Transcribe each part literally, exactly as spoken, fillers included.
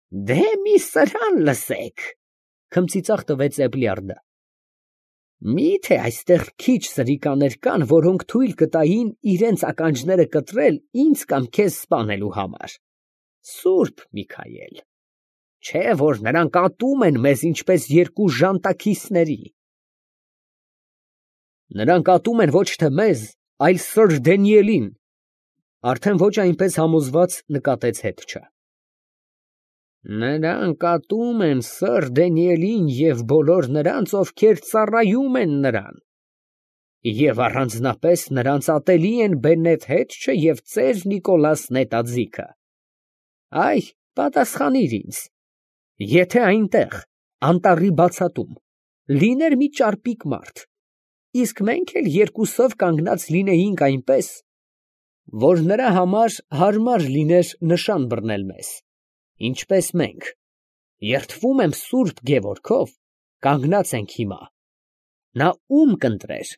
Դե մի սրան լսեք, քմծիծաղ տվեց Էբլյարդը։ Մի՞թե այստեղ քիչ սրիկաներ կան, որոնք թույլ կտային իրենց ականջները կտրել ինձ կամ քեզ սպանելու համար։ Սուրբ Միքայել, չէ որ նրանք ատում են մեզ ինչպես երկու ժանտաքիսների։ Նրանք ատում են ոչ թե մեզ, այլ սըր Դանիելին, արդեն ոչ այնպես համոզված նկատեց Հետչը։ Նրանք ատում են սըր Դանիելին և բոլոր նրանց, ովքեր ծառայում են նրան, և առանձնապես նրանց ատելի են Բենետ Հետչը և ծեր Նիկոլաս նետաձիգը։ Այ, պատասխանիր ինձ, եթե այնտեղ, անտառի բացատում, լիներ մի ճարպիկ մարդ, իսկ մենք էլ երկուսով կանգնած լինեինք այնպես, որ նրա համար հարմար լիներ նշան բռնել մեզ, ինչպես մենք, երդվում եմ Սուրբ Գևորգով, կանգնած ենք հիմա, նա ում կընտրեր,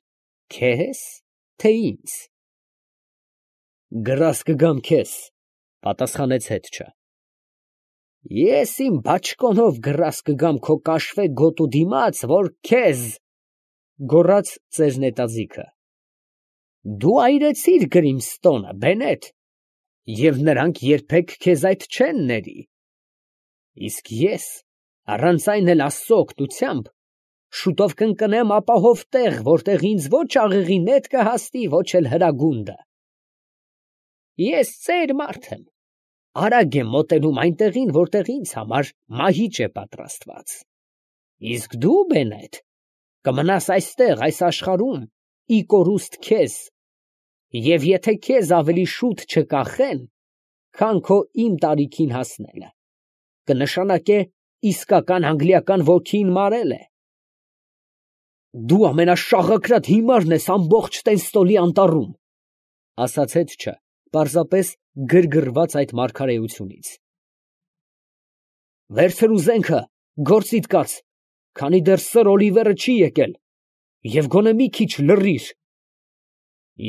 քեզ, թե ինձ։ Գրազ կգամ քեզ, պատասխանեց Հետչը։ Ես իմ բաճկոնով գրազ կգամ քո կաշվե գոտու դիմաց, որ քեզ, գոռաց ծեր նետաձիգը։ Դու այրեցիր Գրիմստոնը, Բենետ, և նրանք երբեք քեզ այդ չեն ների։ Իսկ ես, առանց այն էլ Աստծո օգնությամբ, շուտով կընկնեմ ապահով տեղ, որտեղ ինձ ոչ աղեղի նետ կհասնի, ոչ էլ հրագունդը։ Ես ծեր մարդ եմ, արագ եմ մոտենում այն տեղին, որտեղ ինձ համար մահիճ է պատրաստված։ Իսկ դու, Բենետ, կմնաս այստեղ, այս աշխարհում, ի կորուստ քեզ, և եթե քեզ ավելի շուտ չկախեն, քան քո իմ տարիքին հասնելը, կնշանակե իսկական անգլիական ոգին մարել է։ Դու ամենաշաղակրատ հիմարն ես ամբողջ Տենստոլի անտառում, ասաց Հետչը, պարզապես գրգռված այդ մարգարեությունից։ Վերցր ուզենքը, գործիդ կաց, քանի դեռ սըր Օլիվերը չի եկել, և գոնե մի քիչ լռիր։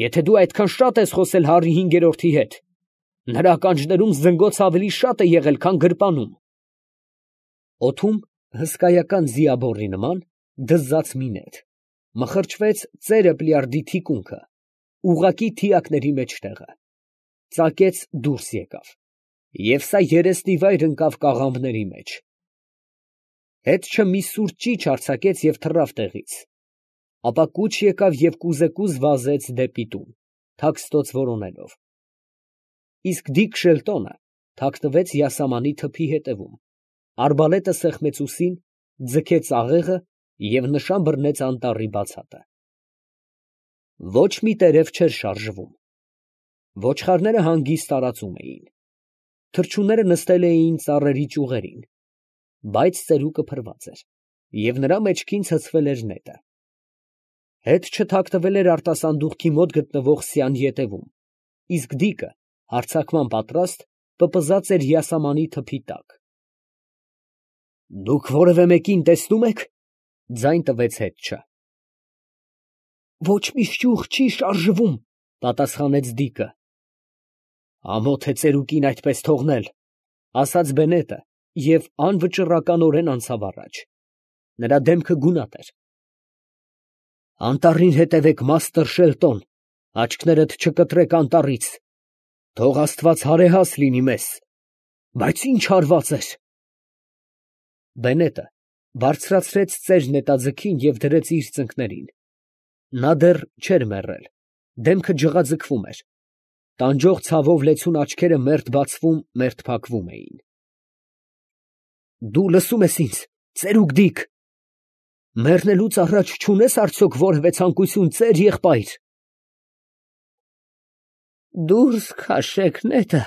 Եթե դու այդքան շատ ես խոսել Հարրի հինգերորդի հետ, նրա ականջներում զնգոցը ավելի շատ է եղել, քան գրպանում։ Օդում հսկայական ձիաբոռի նման դզաց մի նետ, մխրճվեց ծեր Էբլյարդի թիկունքը, ուղղակի թիակների մեջտեղը, ծակեց դուրս եկավ, և սա երեսնիվայր ընկավ կաղամբների մեջ։ Հետչը մի սուր ճիչ արձակեց և թռավ տեղից, ապա կուչ եկավ և կուզեկուզ վազեց դեպի տուն, թաքստոց որոնելով։ Իսկ Դիկ Շելտոնը թաքնվեց յասամանի թփի հետևում, արբալետը սեղմեց ուսին, ձգեց աղեղը և նշան բռնեց անտառի բացատը։ Ոչ մի տերև չէր շարժվում։ Ոչխարները հանգիստ տարածում էին։ Թռչունները նստել էին ծառերի ճյուղերին, բայց ծերուկը փրված էր, և նրա մեջքին ցցվել էր նետը։ Հետչը թաքնվել էր արտասանդուղքի մոտ գտնվող սյան ետևում, իսկ Դիկը, հարձակման պատրաստ, պպզած էր յասամանի թփի տակ։ Դուք որևէ մեկին տեսնո՞ւմ եք, ֊ ձայն տվեց Հետչը։ Ոչ մի ճյուղ չի շարժվում, ֊ պատասխանեց Դիկը։ Ամոթ է ծերուկին այդպես թողնել, ֊ ասաց Բենետը և անվճռականորեն անցավ առաջ. նրա դեմքը գունատ էր։ Անտառին հետևեք, մաստր Շելտոն, աչքներդ չկտրեք անտառից, թող Աստված հարեհաս լինի մեզ, բայց ի՞նչ հարված էր։ Բենետը բարձրացրեց ծեր նետաձգին և դրեց իր ծնկներին. նա դեռ չէր մեռել, դեմքը ջղաձգվում էր, տանջող ցավով լեցուն աչքերը մերթ բացվում, մերթ փակվում էին։ Դու լսո՞ւմ ես ինձ, ծերուկ Դիկ, մեռնելուց առաջ չունե՞ս արդյոք որևէ ցանկություն, ծեր եղբայր։ Դուրս քաշեք նետը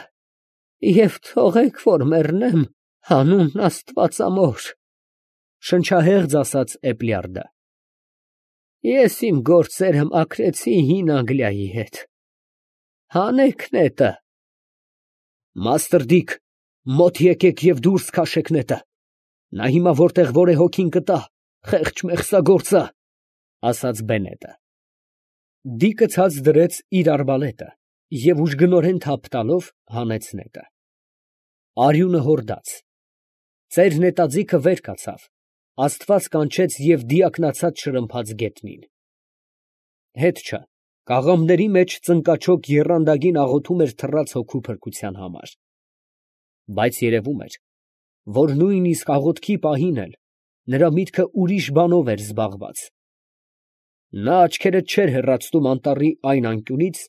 և թողեք, որ մեռնեմ, հանուն աստվածամոր, ֊ շնչահեղձ ասաց Էբլյարդը։ Ես իմ գործերը մաքրեցի հին Անգլիայի հետ, հանեք նետը։ Մաստր Դիկ, մոտ եկեք և դուրս քաշեք նետը, նա հիմա որտեղ որ է հոգին կտա, խեղճ մեղսագործը, ֊ ասաց Բենետը։ Դիկը ցած դրեց իր արբալետը և ուժգնորեն թափ տալով հանեց նետը։ Արյունը հորդաց, Ծեր նետաձիգը վեր կացավ, աստված կանչեց և դիակնացած շրմփաց գետնին։ Հետ չէ, կաղամների մեջ ծնկաչոք եռանդագին աղոթում էր թռած հոգու փրկության համար։ Բայց երևում էր, որ նույնիսկ աղոթքի պահին էլ նրա միտքը ուրիշ բանով էր զբաղված։ Նա աչքերը չէր հեռացնում անտառի այն անկյունից,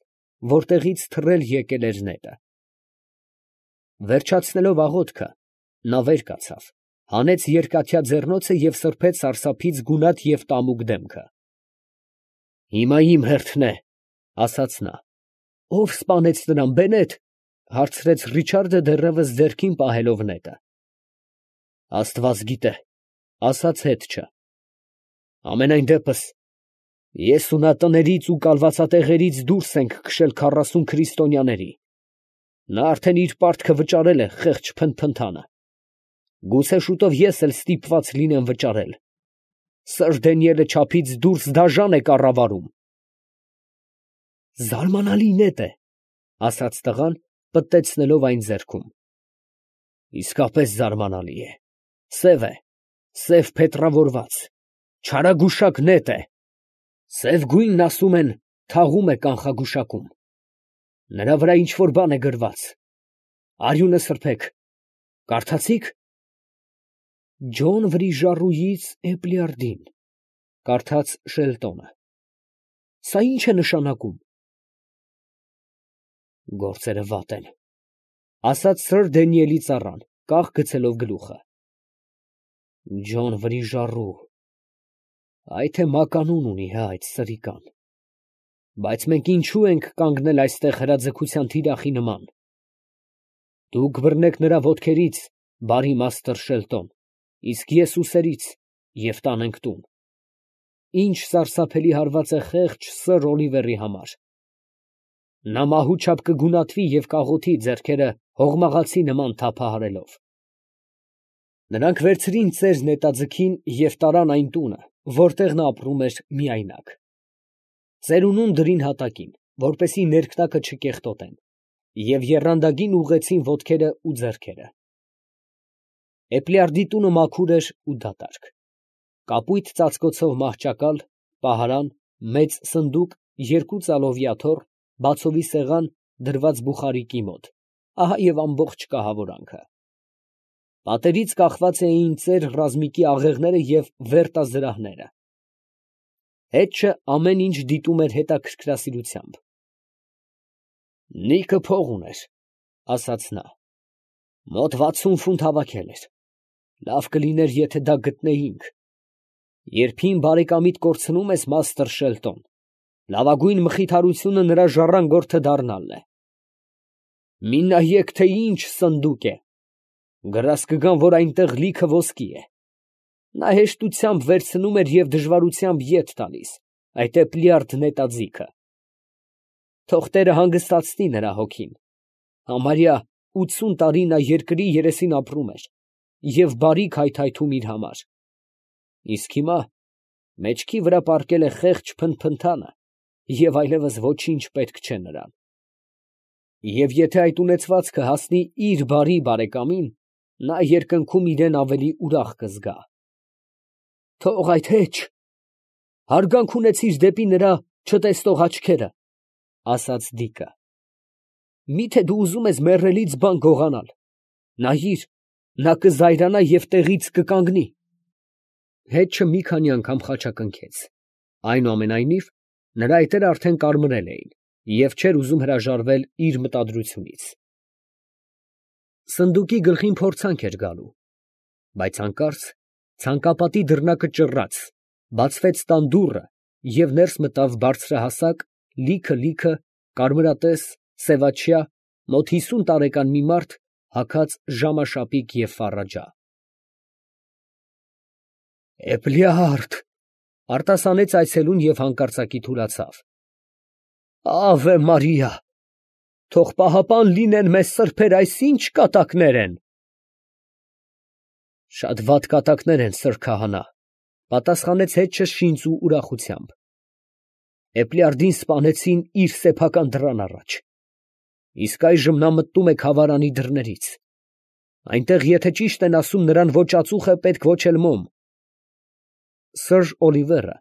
որտեղից թռել եկել էր նետը։ Վերջացնելով աղոթքը, նա վեր կացավ, հանեց երկաթյա ձեռնոցը և սրբեց սարսափից գունատ և տամուկ դեմքը։ «Հիմա իմ հերթն է, ֊ ասաց նա։ ֊ Ո՞վ սպանեց նրան, բենետ, ֊ հարցրեց Ռիչարդը դեռևս ձեռքին պահելով նետը։ ֊ Աստված գիտե, ֊ ասաց հետչը։ ֊ Համենայն դեպս, ես ու նա տներից ու կալվածատեղերից դուրս ենք քշել քառասուն քրիստոնյաների. նա արդեն իր պարտքը վճարել է, խեղճ փնթփնթանը. գուցե շուտով ես էլ ստիպված լինեմ վճարել. Սըր Դանիելը չափից դուրս դաժան է կառավարում։ ֊ Զարմանալի նետ է, ֊ ասաց տղան, պտտեցնելով այն ձեռքում։ ֊ Իսկապես զարմանալի է. սև է, սև փետրավորված, չարագուշակ նետ է. սև գույնն, ասում են, թաղում է կանխագուշակում. նրա վրա ինչ֊որ բան է գրված. արյունը սրբեք, կարդացի՞ք։ Ջոն Վրիժառուից Էպլիարդին, ֊ կարդաց Շելտոնը։ Սա ի՞նչ է նշանակում։ Գործերը վատ են, ֊ ասաց սըր Դանիելի ծառան, կաղ գցելով գլուխը։ Ջոն Վրիժառու, այ թե մականուն ունի հա այդ սրիկան։ Բայց մենք ինչո՞ւ ենք կանգնել այստեղ հրաձգության թիրախի նման։ Դուք բռնեք նրա ոտքերից, բարի մաստր Շելտոն, իսկ ես ուսերից, և տանենք տուն։ Ինչ սարսափելի հարված է խեղճ սըր Օլիվերի համար։ Նա մահու չափ կգունատվի և կաղոթի, ձեռքերը հողմաղացի նման թափահարելով։ Նրանք վերցրին ծեր նետաձիգին և տարան այն տունը, որտեղ նա ապրում էր միայնակ։ Ծերունուն դրին հատակին, որպեսզի ներքնակը չկեղտոտեն, և եռանդագին ուղղեցին ոտքերը ու ձեռքերը։ Էպլիարդի տունը մաքուր էր ու դատարկ. կապույտ ծածկոցով մահճակալ, պահարան, մեծ սնդուկ, երկու ծալովյա թոռ, բացովի սեղան, դրված բուխարիկի մոտ, ահա և ամբողջ կահավորանքը։ Պատերից կախված էին ծեր ռազմիկի աղեղները և վերտազրահները։ Հետչը ամեն ինչ դիտում էր հետաքրքրասիրությամբ։ Նիկը փող ուներ, ֊ ասաց նա, ֊ մոտ վաթսուն ֆունտ հավաքել էր. լավ կլիներ, եթե դա գտնեինք։ Երբ հին բարեկամիդ կորցնում ես, մաստր Շելտոն, լավագույն մխիթարությունը նրա ժառանգորդը դառնալն է։ Մի նայեք, թե ինչ սնդուկ է. գրազ կգան, որ այնտեղ լիքը ոսկի է։ Նա հեշտությամբ վերցնում էր և դժվարությամբ ետ տալիս, այդ Էպլիարդ նետաձիգը։ Թող տերը հանգստացնի նրա հոգին։ Համարյա ութսուն տարի նա երկրի երեսին ապրում էր և բարիք հայթայթում իր համար։ Իսկ հիմա մեջքի վրա պառկել է խեղճ փնթփնթանը և այլևս ոչինչ պետք չէ նրան։ Եվ եթե այդ ունեցվածքը հասնի իր բարի բարեկամին, նա երկնքում իրան ավելի ուրախ կզգա։ Թող այդ հեչ, հարգանք ունեցիր դեպի նրա չտեսնող աչքերը, ֊ ասաց Դիկը։ Մի՞թե դու ուզում ես մեռելից բան գողանալ, նայիր, նա կզայրանա և տեղից կկանգնի։ Հետչը մի քանի անգամ խաչակնքեց, այնուամենայնիվ, նրա այտերը արդեն կարմրել էին և չէր ուզում հրաժարվել իր մտադրությունից։ Սնդուկի գլխին փորձանք էր գալու, բայց հանկարծ ցանկապատի դռնակը ճռռաց, բացվեց տան դուռը և ներս մտավ բարձրահասակ, լիքը֊լիքը, կարմրատես, սևաչյա, մոտ հիսուն տարեկան մի մարդ, հագած ժամաշապիկ և ֆառաջա։ Էպլիարդ, ֊ արտասանեց այցելուն և հանկարծակի թուլացավ։ Աղե Մարիա, թող պահապան լինեն մեզ սրբեր, այս ի՞նչ կատակներ են։ Շատ վատ կատակներ են, սըր քահանա, ֊ պատասխանեց հետչը շինծ ու ուրախությամբ։ Էպլիարդին սպանեցին իր սեփական դռան առաջ, իսկ այժմ նա մտնում է քավարանի դռներից։ Այնտեղ, եթե ճիշտ են ասում, նրան ոչ ածուխ է պետք, ոչ էլ մոմ։ Սըր Օլիվերը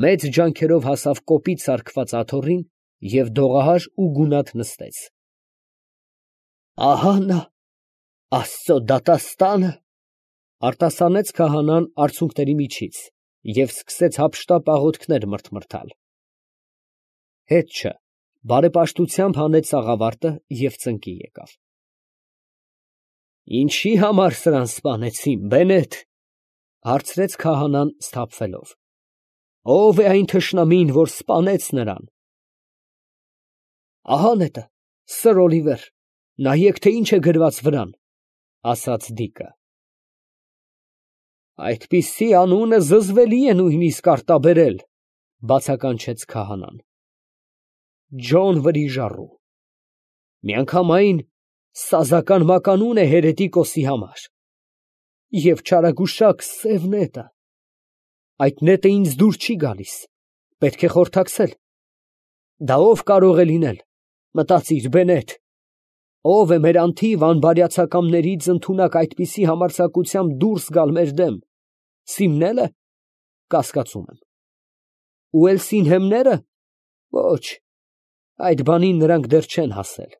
մեծ ջանքերով հասավ կոպիտ սարքված աթոռին և դողահար ու գունատ նստեց։ «Ահա նա, Աստծո դատաստանը, ֊ արտասանեց քահանան արցունքների միջից և սկսեց հափշտապ աղոթքներ մրթմրթալ։ Հետ չէ, բարեպաշտությամբ հանեց սաղավարտը և ծնկի եկավ։ «Ինչի համար սրան սպանեցին, Բենետ, ֊ հարցրեց քահանան սթափվելով. ով է այն թշնամին, որ սպանեց նրան»։ «Ահա նետը, սըր Օլիվեր, նայեք, թե ինչ է գրված վրան, ֊ ասաց դիկը։ ֊ Այդպիսի անունը զզվելի է նույնիսկ արտաբերել, ֊ բացականչեց քահանան։ Ջոն Վրիժառու, միանգամայն սազական մականուն է հերետիկոսի համար։ Եվ չարագուշակ սև նետը, այդ նետը ինձ դուր չի գալիս, պետք է խորհրդակցել։ Դա ով կարող է լինել, մտածիր, Բենետ, ով է մեր անթիվ անբարյացակամներից ընդունակ այդպիսի համարձակությամբ դուրս գալ մեր դեմ, Սիմնե՞լը, կասկածում եմ, ու էլ Սինհեմնե՞րը, ոչ, այդ բանին նրանք դեռ չեն հասել։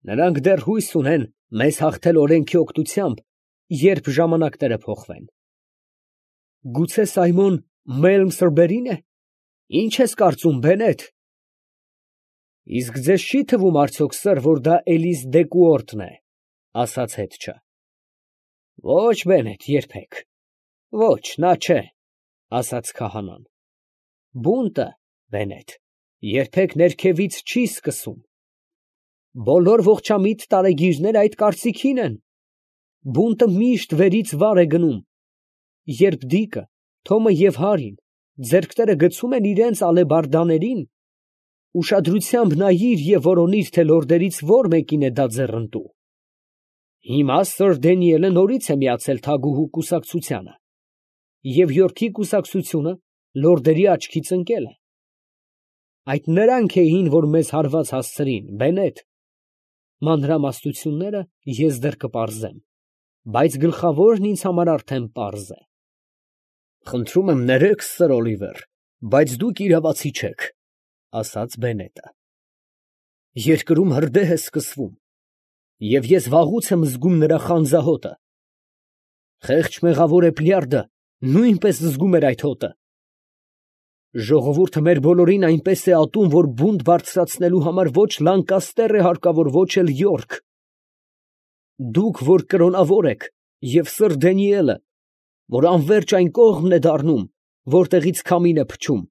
Նրանք դեռ հույս ունեն մեզ հաղթել օրենքի օգնությամբ, երբ ժամանակները փոխվեն։ Գուցե Սայմոն Մելմսրբերին է, ի՞նչ ես կարծում, Բենետ։ Իսկ ձեզ չի թվում արդյոք, սըր, որ դա Էլիս Դեկուորտն է, ֊ ասաց հետչը։ Ոչ, Բենետ, երբեք, ոչ, նա չէ, ֊ ասաց քահանան։ Բունտը, Բենետ, երբեք ներքևից չի սկսում։ Բոլոր ողջամիտ տարեգիրները այդ կարծիքին են։ Բունտը միշտ վերից վար է գնում։ Երբ Դիկը, Թոմը և Հարին ձեռքները գցում են իրենց ալեբարդաներին, ուշադրությամբ նայիր և որոնիր, թե լորդերից ո՞ր մեկին է դա ձեռնտու։ Հիմա սըր Դենիելը նորից է միացել թագուհու կուսակցությանը, և Յորքի կուսակցությունը լորդերի աչքից ընկել է։ Այդ նրանք էին, որ մեզ հարված հասցրին, Բենետ։ Մանրամասնությունները ես դեռ կպարզեմ, բայց գլխավորն ինձ համար արդեն պարզ է։ Խնդրում եմ ներեք, սըր Օլիվեր, բայց դուք իրավացի չեք, ֊ ասաց Բենետը։ Երկրում հրդեհ է սկսվում, և ես վաղուց եմ զգում նրա խանձահոտը։ Խեղճ մեղավոր Էպլյարդը նույնպես զգում էր այդ հոտը։ Ժողովուրդը մեր բոլորին այնպես է ատում, որ բունտ բարձրացնելու համար ոչ Լանկաստեր է հարկավոր, ոչ էլ Յորք։ Դուք, որ կրոնավոր եք, և սըր Դենիելը, որ անվերջ այն կողմն է դառնում, որտեղից քամին է փչում,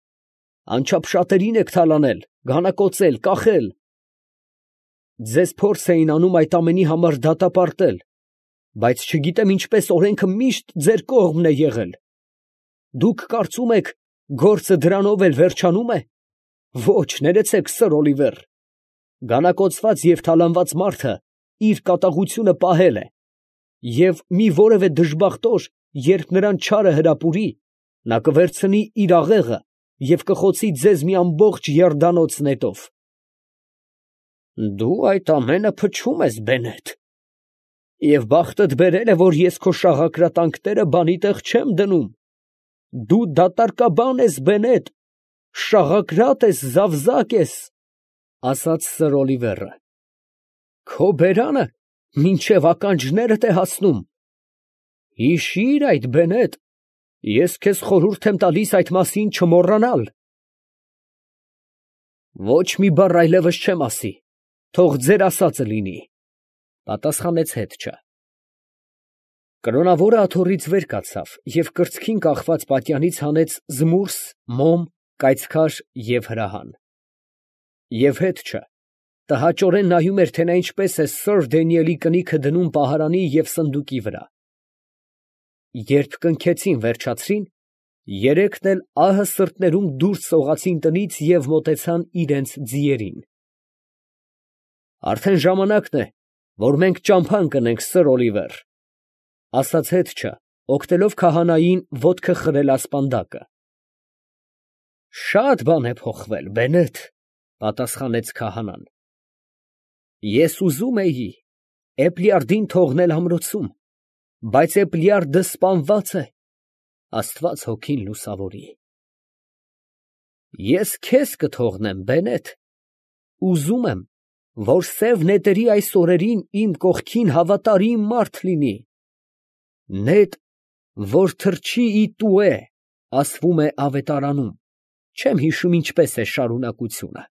անչափ շատերին եք թալանել, գանակոծել, կախել։ Ձեզ փորձ էին անում այդ ամենի համար դատապարտել, բայց չգիտեմ ինչպես օրենքը միշտ ձեր կողմն է եղել։ Դուք կարծում եք, գործը դրանով էլ վերջանում է։ Ոչ, ներեցեք, սըր Օլիվեր, գանակոծված և թալանված մարդը իր կատաղությունը պահել է, և մի որևէ դժբախտ օր, երբ նրան չարը հրապուրի, նա կվերցնի իր աղեղը և կխոցի ձեզ մի ամբողջ եռդանոց նետով։ Դու այդ ամենը փչում ես, Բենետ, և բախտդ բերել է, որ ես քո շաղակրատանքները բանի տեղ չեմ դնում։ Դու դատարկաբան ես, Բենետ, շաղակրատ ես, զավզակ ես, ֊ ասաց սըր Օլիվերը։ Քո բերանը մինչև ականջներդ է հասնում։ Հիշի՛ր այդ, Բենետ, ես քեզ խորհուրդ եմ տալիս այդ մասին չմոռանալ։ Ոչ մի բառ այլևս չեմ ասի, թող ձեր ասածը լինի, ֊ պատասխանեց հետչը։ Կրոնավորը աթոռից վեր կացավ և կրծքին կախված պատյանից հանեց զմուրս, մոմ, կայծքար և հրահան։ Եվ հետչը տհաճորեն նայում էր, թե նա ինչպես է սըր Դենիելի կնիքը դնում պահարանի և սնդուկի վրա։ Երբ կնքեցին վերջացրին, երեքն էլ ահը սրտներում դուրս սողացին տնից և մոտեցան իրանց ձիերին։ Արդեն ժամանակն է, որ մենք ճամփա ընկնենք, սըր Օլիվեր, ֊ ասաց հետչը, օգնելով քահանային ոտքը խրել ասպանդակը։ Շատ բան է փոխվել, Բենետ, ֊ պատասխանեց քահանան։ Ես ուզում էի, Էպլիարդին թողնել ամրոցում, բայց Էպլիարդը սպանված է, աստված հոգին լուսավորի։ Ես քեզ կթողնեմ, Բենետ, ուզում եմ, որ սև նետերի այս օրերին իմ կողքին հավատարիմ մարդ լինի, նետ, որ թռչի ի տուէ, ասվում է ավետարանում, չեմ հիշում ինչպես է շարունակությունը։